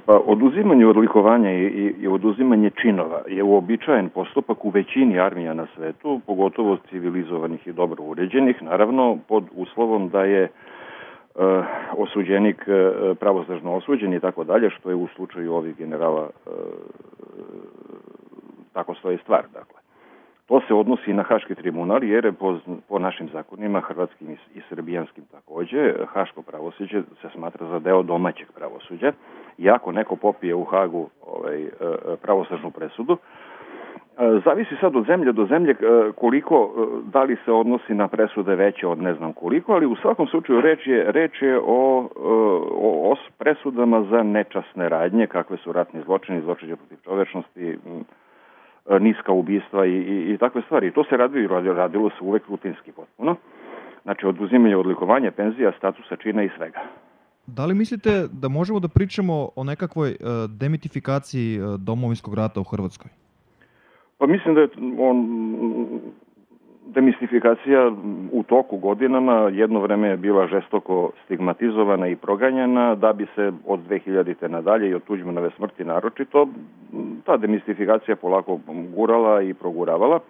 Pa oduzimanje odlikovanja i oduzimanje činova je uobičajen postupak u većini armija na svetu, pogotovo civilizovanih i dobro uređenih, naravno pod uslovom da je osuđenik pravosnažno osuđen i tako dalje, što je u slučaju ovih generala tako stoji stvar. Dakle, to se odnosi na Haški tribunal, jer je po našim zakonima, hrvatskim i srbijanskim takođe, haško pravosuđe se smatra za deo domaćeg pravosuđa. I ako neko popije u Hagu pravosnažnu presudu, zavisi sad od zemlje do zemlje koliko, da li se odnosi na presude veće od ne znam koliko, ali u svakom slučaju reč je o presudama za nečasne radnje, kakve su ratni zločini, zločine protiv čovečnosti, niska ubistva i takve stvari. I to se radilo se uvek rutinski potpuno. Znači, oduzimanje odlikovanja, penzija, statusa, čina i svega. Da li mislite da možemo da pričamo o nekakvoj demitifikaciji domovinskog rata u Hrvatskoj? Pa mislim da je demistifikacija u toku godinama jedno vreme je bila žestoko stigmatizovana i proganjana, da bi se od 2000. nadalje i od Tuđmanove smrti naročito ta demistifikacija polako gurala i proguravala.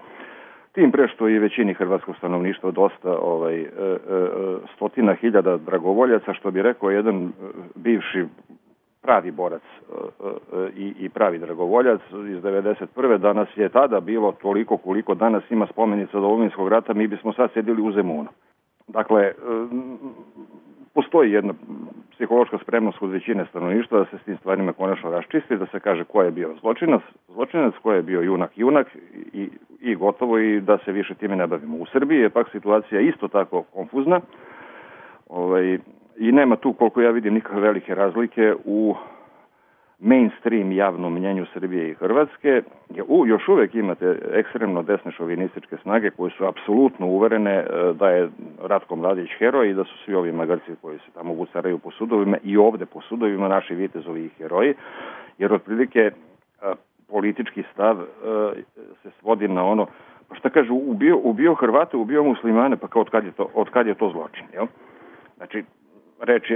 Tim pre što i većini hrvatskog stanovništva dosta stotina hiljada dragovoljaca, što bi rekao jedan bivši pravi borac i pravi dragovoljac iz 91. Danas je tada bilo toliko koliko danas ima spomenica Domovinskog rata, mi bismo sad sedili u Zemunu. Dakle, postoji jedna psihološka spremnost kod većine stanovništva da se s tim stvarima konačno raščisti, da se kaže ko je bio zločinac, ko je bio junak i gotovo, i da se više time ne bavimo. U Srbiji je pak situacija isto tako konfuzna, i nema tu, koliko ja vidim, nikakve velike razlike u mainstream javnom mnjenju Srbije i Hrvatske. Još uvek imate ekstremno desne šovinističke snage koje su apsolutno uverene da je Ratko Mladić heroj i da su svi ovi magarci koji se tamo vucaraju po sudovima i ovde po sudovima naši vitezovi i heroji, jer otprilike politički stav se svodi na ono, pa šta kažu, ubio Hrvate, ubio muslimane, pa kao od kad je to zločin, jel? Znači,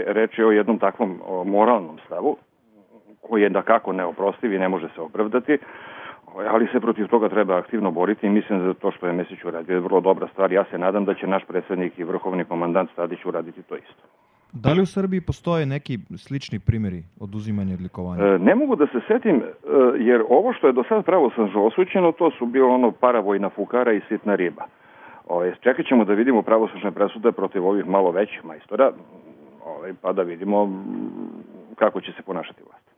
reč je o jednom takvom moralnom stavu koji je dakako neoprostiv i ne može se opravdati, ali se protiv toga treba aktivno boriti i mislim da to što je Mesić uradio je vrlo dobra stvar. Ja se nadam da će naš predsjednik i vrhovni komandant Tadić uraditi to isto. Da li u Srbiji postoje neki slični primjeri oduzimanja odlikovanja? Ne mogu da se setim, jer ovo što je do sad pravosnažno osuđeno, to su bilo paravojna fukara i sitna riba. Čekat ćemo da vidimo pravosnažne presude protiv ovih malo većih majstora, pa da vidimo kako će se ponašati vlast.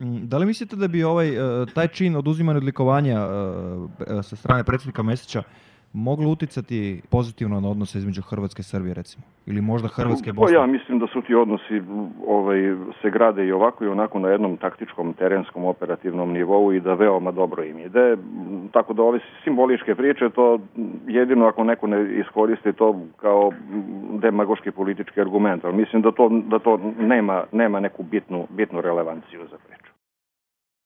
Da li mislite da bi taj čin oduzimanja odlikovanja sa strane predsjednika Mesića moglo uticati pozitivno na odnose između Hrvatske i Srbije, recimo? Ili možda Hrvatske i Bosne? Ja mislim da su ti odnosi se grade i ovako i onako na jednom taktičkom, terenskom, operativnom nivou i da veoma dobro im ide. Tako da ove simboličke priče, to jedino ako neko ne iskoristi to kao demagoški politički argument, ali mislim da to nema neku bitnu relevanciju za priču.